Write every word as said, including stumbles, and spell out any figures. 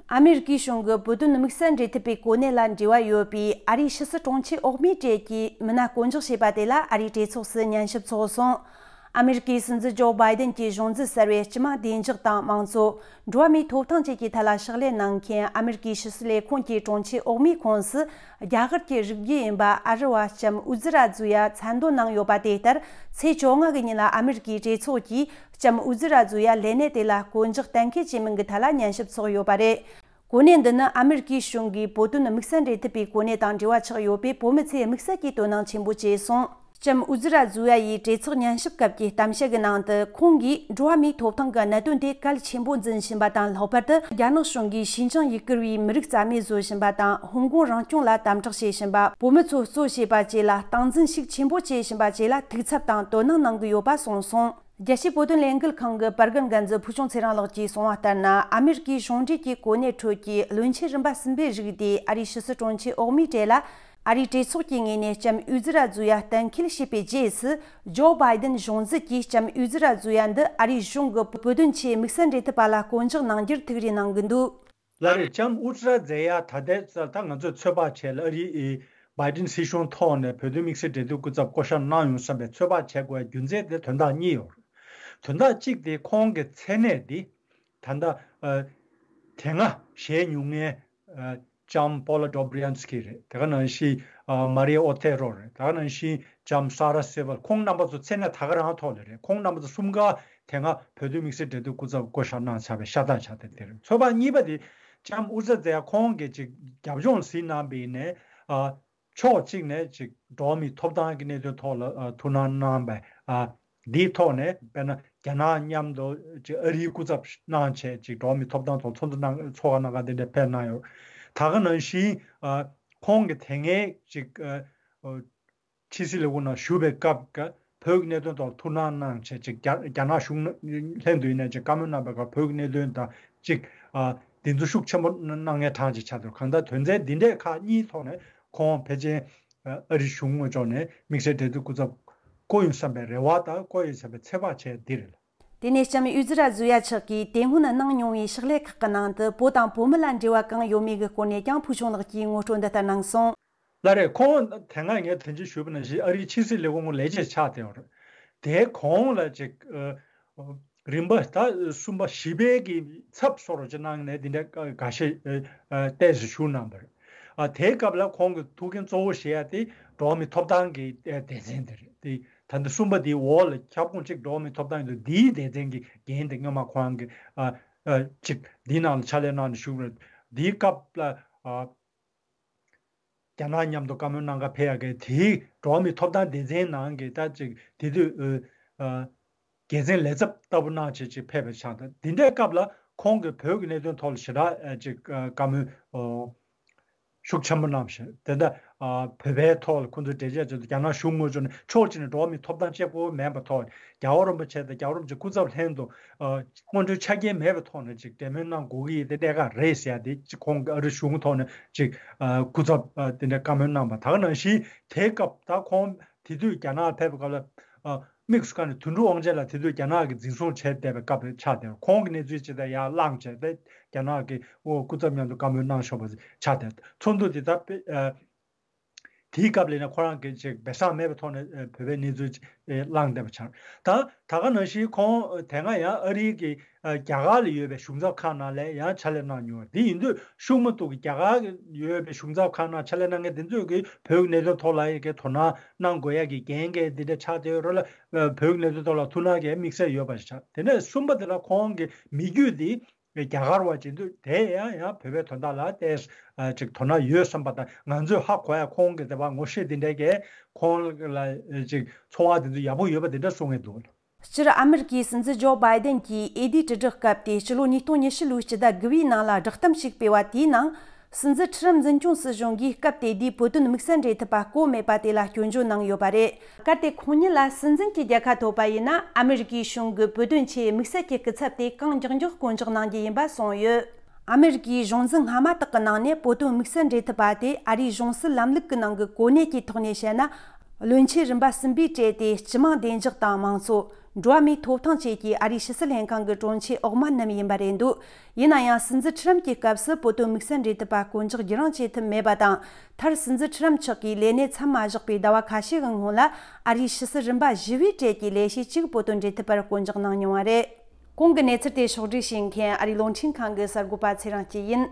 ཨ་མེ་རི་ཀའི་གཞུང་གི་བོད་དོན་དམིགས་བསལ་འབྲེལ་མཐུད་པའི་གོ་གནས་ལ་འབྲེལ་བ་ཡོད་པའི་ཨ་རིའི་ཕྱི་སྲིད་དྲུང་ཆེ་འོག་མའི་གྲས་ཀྱིས་མི་སྣ་བསྐོ་འཇོག་བྱས་པ་དེ་ལ་ཨ་རིའི་གྲོས་ཚོགས་སུ་ཉན་ཞིབ་ཚོགས་སོང་། ཨ་མེ་རི་ཀའི་སྲིད་འཛིན་ཇོ་བྷའི་ཏན་གྱི་གཞུང་འཛིན་གསར་བས་སྤྱི་དམངས་བདེ་འཇགས་དང་དམངས་གཙོ། འགྲོ་བ་མིའི་ཐོབ་ཐང་བཅས་ཀྱི་ཐད་ལ་ཕྱག་ལས་གནང་མཁན་ཨ་མེ་རི་ཀའི་ཕྱི་སྲིད་ལས་ཁུངས་ཀྱི་དྲུང་ཆེ་འོག་མའི་ཁོངས་སུ། རྒྱ་གར་གྱི་རིགས་རྒྱུད་ཡིན་པ་ཨ་རི་བ་ལྕམ་ཨུ་ཛི་ར་ཛུ་ཡ་མཚན་འདོན་གནང་ཡོད་པ་དེ་ལྟར། ཚེས་བཅོ་ལྔ་གི་ཉིན་ལ་ཨ་མེ་རི་ཀའི་གྲོས་ཚོགས་ཀྱིས་ལྕམ་ཨུ་ཛི་ར་ཛུ་ཡ་ལས་གནས་དེ་ལ་བསྐོ་འཇོག་གཏན་འཁེལ་བྱེད་མིན་གྱི་ཐད་ལ་ཉན་ཞིབ་ཚོགས་ཡོད་པ་རེད། གོ་གནས་འདི་ནི་ཨ་མེ་རི་ཀའི་གཞུང་གིས་བོད་དོན་དམིགས་བསལ་འབྲེལ་མཐུད་པའི་གོ་གནས་དང་འབྲེལ་བ་ཆགས་ཡོད་པས། བོད་མི་ཚོས་དམིགས་བསལ་གྱིས་དོ་སྣང་ཆེན་པོ་བྱས་སོང་། ལྕམ་ཨུ་ཛི་ར་ཛུ་ཡ་ཡིས་གྲོས་ཚོགས་ཉན་ཞིབ་སྐབས་ཀྱི་གཏམ་བཤད་ཀྱི་ནང་དུ། ཁོང་གིས་འགྲོ་བ་མིའི་ཐོབ་ཐང་གི་གནད་དོན་དེ་གལ་ཆེན་པོ་འཛིན་བཞིན་པ་དང་། ལྷག་པར་དུ་རྒྱ་ནག་གཞུང་གིས་ཞིན་ཅང་ཡུ་གུར་བའི་མི་རིགས་རྩ་མེད་བཟོ་བཞིན་པ་དང་། ཧོང་ཀོང་རང་སྐྱོང་ལ་དམ་དྲག་བྱེད་བཞིན་པ། བོད་མི་ཚོ་གཙོ་བྱས་པ་བཅས་ལ་སྟངས་འཛིན་ཤུགས་ཆེན་པོ་བྱེད་བཞིན་པ་བཅས་ལ་ཐུགས་འཚབ་དང་དོ་སྣང་གནང་གི་ཡོད་པ་གསུངས་སོང་། རྒྱལ་སྤྱིའི་བོད་དོན་ལས་འགུལ་ཁང་གི་པར་རྒན་འགན་འཛིན་ཕུལ་བྱུང་ཚེ་རིང་ལགས་ཀྱིས་གསུངས་པ་ལྟར་ན། ཨ་མེ་རི་ཀའི་གཞུང་འབྲེལ་གྱི་གོ་གནས་ཁྲོད་ཀྱི་བློན་ཆེན་རིམ་པ་གསུམ་པའི་རིགས་དེ་ཨ་རིའི་ཕྱི་སྲིད་དྲུང་ཆེ་འོག་མའི་གྲས་ལ་ཨ་རིའི་གྲོས་ཚོགས་ཀྱི་ངོས་ནས་ལྕམ་ཨུ་ཛི་ར་ཛུ་ཡ་གཏན་འཁེལ་བྱས་པའི་རྗེས་སུ། ཇོ་བྷའི་ཏན་གཞུང་སྲིད་ཀྱིས་ལྕམ་ཨུ་ཛི་ར་ཛུ་ཡ་འདི་ཨ་རིའི་གཞུང་གི་བོད་དོན་ཆེད་དམིགས་བསལ་འབྲེལ་མཐུད་པ་ལ་བསྐོ་འཇོག་གནང་རྒྱུར་ཐུགས་རེ་གནང་གི་འདུག། ལགས་རེད། ལྕམ་ཨུ་ཛི་ར་ཛེ་ཡ་ད་ལྟའི་ཆར་ད་ང་ཚོས་ཚོད་དཔག་བྱས་ལ་ཨ་རིའི་བྷའི་ཏིན་སྲིད་གཞུང་ཐོག་ནས་བོད་དོན་དམིགས་བསལ་འབྲེལ་མཐུད་སྐུ་ཚབ་བསྐོ་བཞག་གནང་ཡོང་བསམ་པའི་ཚོད་དཔག་བྱེད་དགོས་པའི་རྒྱུ་མཚན་དེ་དོན་དག་གཉིས་ཡོད་རེད། དོན་དག་གཅིག་དེ་ཁོང་གི་མཚན་གནས་འདི་ད་ལྟ་ཨ་དེ་སྔ་བཞེས་མྱོང་མཁན་ཨ་ལྕམ་པོ་ལ་ཌོབ་རི་ཡན་སི་ཀི་རེད། དེ་ག་ནང་བཞིན་ཨ་མ་རི་ཨོ་ཐེ་རོ་རེད། དེ་ག་ནང་བཞིན་ལྕམ་ས་ར་སེ་ཝལ། ཁོང་རྣམ་པ་ཚོ་མཚན་གནས་ད་ག་རང་ཐོག་ལ་རེད། ཁོང་རྣམ་པ་ཚོ་གསུམ་ཀ་དེ་སྔ་བོད་དོན་དམིགས་བསལ་འབྲེལ་མཐུད་སྐུ་ཚབ་བསྐོ་བཞག་གནང་ཚར་བའི་ཤ་སྟག་ཆགས་བསྡད་དེ་རེད། ཚོད་དཔག་གཉིས་པ་དེ་ལྕམ་ཨུ་ཛི་ར་ཛེ་ཡ་ཁོང་གིས་ཅིག་རྒྱབ་ལྗོངས་ཟིན་གནང་བ་ཡིན་ནའི་ཨ་ཕྱོགས་གཅིག་ནས་ཅིག་འགྲོ་བ་མིའི་ཐོབ་ཐང་གི་གནད་དོན་ཐོག་ལ་ཨ་ཐུགས་སྣང་གནང་བའི་ཨ་འདིའི་ཐོག་ནས་དཔེར་ན་རྒྱ་ནག་མཉམ་དུ་ཅིག་ཨ་རིའི་སྐུ་ཚབ་གནང་བྱས་ཅིག་འགྲོ་བ་མིའི་ཐོབ་ཐང་ཐོག་ཚོགས་འདུ་གནང་ཚོགས་ཁག་གནང་ག་དེ་འདྲ་ཕེབས་གནང་ཡོད། ད་ག་ནང་བཞིན་ཨ་ཁོང་གིས་དེ་སྔའི་ཅིག་ཨ་ཕྱི་སྲིད་ལས་ཁུངས་ནང་བཞུགས་པའི་སྐབས་ཀྱི་བོད་ཀྱི་གནད་དོན་ཐོག་ཐུགས་སྣང་གནང་བྱས་ཅིག་རྒྱ་རྒྱ་ནག་གཞུང་ལྷན་དུ་ཡིན་ནའི་ཅིག་བཀའ་མོལ་གནང་བའི་སྐབས་བོད་ཀྱི་གནད་དོན་དང་ཅིག་ཨ་འདི་ཚོ་ཤུགས་ཆེན་པོ་གནང་མཁན་གྲངས་ཅིག་ཆགས་འདུག། གང་ལྟར་དོན་ཚན་འདི་འདྲའི་ཁག་གཉིས་ཐོག་ནས་ཁོང་ཕལ་ཆེར་ཨ་རིའི་གཞུང་ངོས་ཕྱོགས་ནས་དམིགས་བསལ་འབྲེལ་མཐུད་སྐུ་ཚབ་བསྐོ་ཡོང་བསམ་པའི་རེ་བ་དང་བསྐོ་ཡོང་བསམ་པའི་ཚོད་དཔག་བྱས་འདི་རེད། དེ་ནས་ལྕམ་ཨུ་ཛི་ར་ཛུ་ཡ་མཆོག་གིས་དེ་སྔོན་གནང་མྱོང་བའི་ཕྱག་ལས་ཁག་གི་ནང་དུ་བོད་དང་བོད་མི་ལ་འབྲེལ་བ་གང་ཡོད་མེད་ཀྱི་སྐོར་ནས་ཀྱང་ཕུལ་བྱུང་ལགས་ཀྱིས་ངོ་སྤྲོད་འདི་ལྟར་གནང་སོང་། ལགས་རེད། ཁོང་དེ་སྔ་ངས་དེ་འདྲ་ཞུས་པ་ནང་བཞིན་ཨ་རིའི་ཕྱི་སྲིད་ལས་ཁུངས་ལས་བྱེད་ཆགས་བསྡད་ཡོད་རེད། དེའི་གོང་ལ་ཅིག་ཨ་རིམ་པ་ད་གསུམ་པ་བཞི་པའི་གི་ཚབ་སོགས་ཅིག་གནང་ནས་དེ་འདྲ་འགའ་ཤས་ཨ་ཨ་ཏོག་ཙམ་བཞུགས་གནང་བ་རེད། ཨ་དེའི་སྐབས་ལ་ཁོང་གི་ཐུགས་འགན་གཙོ་བོ་བཞེས་ཡ་དེ་འགྲོ་བ་མིའི་ཐོབ་ཐང་གི་ཨ་སྡེ་ཚན་དེ་རེད། དེ་ད་ལྟ་གསུམ་པ་དེའི་འོག་ལ་ཁྱབ་ཁོངས་གཅིག་འགྲོ་བ་མིའི་ཐོབ་ཐང་ཡོད་འདུག། འདིའི་སྡེ་ཚན་གྱི་འགན་དེ་སྔོན་མ་ཁོང་གི་ཨ་ཨ་ཅིག་འདིའི་ནང་ལ་ཕྱག་ལས་གནང་ནས་བཞུགས་རེད། འདིའི་སྐབས་ལ་ཨ་རྒྱ་ནག་མཉམ་དུ་བཀའ་མོལ་གནང་ག་ཕེབས་ཡ་གི་དེའི་འགྲོ་བ་མིའི་ཐོབ་ཐང་སྡེ་ཚན་ནང་གི་ད་ཅིག་དེ་དུས་ཨ་དགེ་མཚན་ལས་ཚབ་ལྟ་བུ་གནང་བྱས་ཅིག་ཕེབས་པ་ཆགས། ད་འདི་འདྲའི་སྐབས་ལ་ཁོང་གིས་བོད་ཀྱི་གནད་དོན་ཐོག་ལ་ཞེ་དྲག་ཨ་ཅིག་ཨ་བཀའ་མོལ་ཨོ་ཤུགས་ཆེན་པོ་གནང་བ་ཞིག། དེ་འདྲ་ཨ་བོད་པའི་ཐོག་ལ་ཁོང་ཚོས་འགྲེལ་བཤད་བྱས་ཏེ་རྒྱ་ནག་གཞུང་ངོས་ཕྱོགས་ནས་ཕྱོགས་གཅིག་ནས་འགྲོ་བ་མིའི་ཐོབ་ཐང་གཅིག་པོ་མེད་པའི་ཐོག་རྒྱལ་བ་རིན་པོ་ཆེ་དང་རྒྱལ་བ་རིན་པོ་ཆེའི་སྐུ་ཚབ་ལྷན་དུ་ཨ་སྔོན་འགྲོའི་ཆ་རྐྱེན་མེད་པའི་ཐོག་ནས་ཅིག་གྲོས་མོལ་གནང་དགོས་ཀྱི་ཡོད་དེ་གནད་འགག་རེད་ཟེར་ཡ་དེ་ཅིག་ཁོང་གི་ཨ་རི་གཞུང་ཐོག་ནས་ཅིག་ཨ་སྐུ་ཚབ་ཨ་དེ་འདྲའི་བཀའ་མོལ་གནང་བ། ད་ག་ནང་བཞིན་དེའི་སྐབས་ད་ཁོང་དེ་དུས་རྒྱ་ནག་ཕེབས་པའི་སྐབས་ལ་ཨ་དམིགས་སུ་བཀར་ནས་དོན་གྲུབ་དབང་ཆེན་ལགས་དེ་དུས་རྒྱ་ནག་གིས་འཛིན་བཟུང་བྱས་བསྡད་པའི་སྐབས་རེད་ཆགས་བསྡད། ཁོང་གི་གནས་ཚུལ་ཇི་ལྟར་ཡར་བསླངས་བྱས་ཏེ་རྒྱ་ནག་གི་ཨོ་སྐུ་ཚབ་མཉམ་དུ་བཀའ་མོལ་གནང་ཆོག་པ་ཆགས་བསྡད། ཚོགས་འདུ་དེ་ད་དཔེ་ཨ་དེའི་སྐབས་ལ་ཡིན་ན་ཁོ་རང་གིས་ཅིག་སྦས་གསང་མེད་པའི་ཐོག་ནས་ཨ་བོད་པའི་གནས་ཚུལ་ཅིག་ཨ་བསླངས་བསྡད་པ་ཆགས། ད་ད་ག་ནང་བཞིན་ཁོང་དེ་སྔ་ཡང་ཨ་རིའི་གི་ཨ་རྒྱ་གར་ལ་ཡོད་པའི་གཞུང་ཚབ་ཁག་ནང་ལ་ཡང་ཕྱག་ལས་གནང་མྱོང་བ་དེ་ཡིན་དུས་ཤུགས་མ་གཏོགས་ཀྱི་རྒྱ་གར་ཡོད་པའི་གཞུང་ཚབ་ཁག་ནང་ཕྱག་ལས་གནང་མཁན་དེ་ཚོས་ཀྱི་བོད་ཀྱི་གནད་དོན་ཐོག་ལ་ཡི་གེ་དོ་སྣང་གནང་དགོས་ཡ་གི་འགན་འཁྱེར་འདི་འདྲ་ཆགས་བསྡད་ཡོད་རེད་ལ། བོད་ཀྱི་གནད་དོན་ཐོག་ལ་ཐུགས་སྣང་གི་དམིགས་བསལ་ཡོད་པ་ཞིག་ཆགས། དེ་ནས་གསུམ་པ་དེ་ལ་ཁོང་གི་མི་རྒྱུད་འདི་རྒྱ་གར་བ་བྱེད་དུས་དེ་ཡང་ཡང་བོད་པའི་དོན་དག་ལ་ཏོག་ཙམ་ཅིག་དོ་སྣང་ཡོད་བསམ་པ་དང་། ང་ཚོས་ཧ་གོ་ཡ་ཁོང་གི་དེ་བ་ངོ་ཤེས་དེ་འདྲ་གས་ཁོང་ལ་ཅིག་ཚོར་བ་དེ་ཚོ་ཡག་པོ་ཡོད་པ་དེ་འདྲ་གསུང་གི་འདུག། སྤྱིར་ཨ་མེ་རི་ཀའི་སྲིད་འཛིན་ཇོ་བྷའི་ཏན་གྱིས་འོས་བསྡུའི་དྲིལ་བསྒྲགས་སྐབས་ཏེ་ཕྱི་ལོ་ཉིས་སྟོང་ཉི་ཤུ་ལོའི་སྤྱི་ཟླ་དགུ་པའི་ནང་ལ་བསྒྲགས་གཏམ་ཞིག་སྤེལ་བ་དེའི་ནང་། སྲིད་འཛིན་ཁྲི་རམ་འཛིན་སྐྱོང་སྲིད་གཞུང་གིས་སྐབས་དེ་དུས་བོད་དོན་དམིགས་བསལ་འབྲེལ་མཐུད་པ་བསྐོ་མེད་པ་དེ་ལ་སྐྱོན་བརྗོད་གནང་ཡོད་པ་རེད། གལ་ཏེ་ཁོང་ཉིད་ལ་སྲིད་འཛིན་གྱི་རྒྱལ་ཁ་ཐོབ་པ་ཡིན་ན། ཨ་མེ་རི་ཀའི་གཞུང་གི་བོད་དོན་ཆེད་དམིགས་བསལ་གྱི་སྐུ་ཚབ་དེ་གང་མགྱོགས་མགྱོགས་བསྐོ་འཇོག་གནང་རྒྱུ་ཡིན་པ་གསུངས་ཡོད། ཨ་མེ་རི་ཀའི་གཞུང་འཛིན་སྔ་མ་དག་གི་ནང་ནས་བོད་དོན་དམིགས་བསལ་འབྲེལ་མཐུད་པ་དེ་ཨ་རིའི་གཞུང་སྲིད་ལམ་ལུགས་ཀྱི་ནང་གི་གོ་གནས་ཀྱི་ཐོག་ནས་བཤད་ན། བློན་ཆེན་རིམ་པ་གསུམ་པའི་གྲས་དེ་སྤྱི་དམངས་བདེ་འཇགས་དང་མང་གཙོ། འགྲོ་བ་མིའི་ཐོབ་ཐང་བཅས་ཀྱི་ཨ་རིའི་ཕྱི་སྲིད་ལྷན་ཁང་གི་དྲུང་ཆེ་འོག་མ་རྣམས་ཡིན་པ་རེད་འདུག་ཡིན་ན་ཡང་། སྲིད་འཛིན་ཁྲི་རམ་གྱི་སྐབས་སུ་བོད་དོན་དམིགས་བསལ་འབྲེལ་མཐུད་པ་བསྐོ་འཇོག་བགྱི་རང་བྱེད་ཐུབ་མེད་པ་དང་། མཐར་སྲིད་འཛིན་ཁྲི་རམ་མཆོག་གིས་ལས་གནས་མཚམས་མ་བཞག་པའི་ཟླ་བ་ཁ་ཤས་ཀྱི་སྔོན་ལ། ཨ་རིའི་ཕྱི་སྲིད་རིམ་པ་བཞི་པའི་གྲས་ཀྱི་ལས་བྱེད་གཅིག་བོད་དོན་འབྲེལ་མཐུད་པར་བསྐོ་འཇོག་གནང་མྱོང་བ་རེད། གོང་གི་གནས་ཚུལ་དེ་ཕྱོགས་བསྒྲིགས་བྱེད་མཁན་ཨ་རིའི་རླུང་འཕྲིན་ཁང་གི་གསར་འགོད་པ་ཚེ་རིང་སྐྱིད་ཡིན།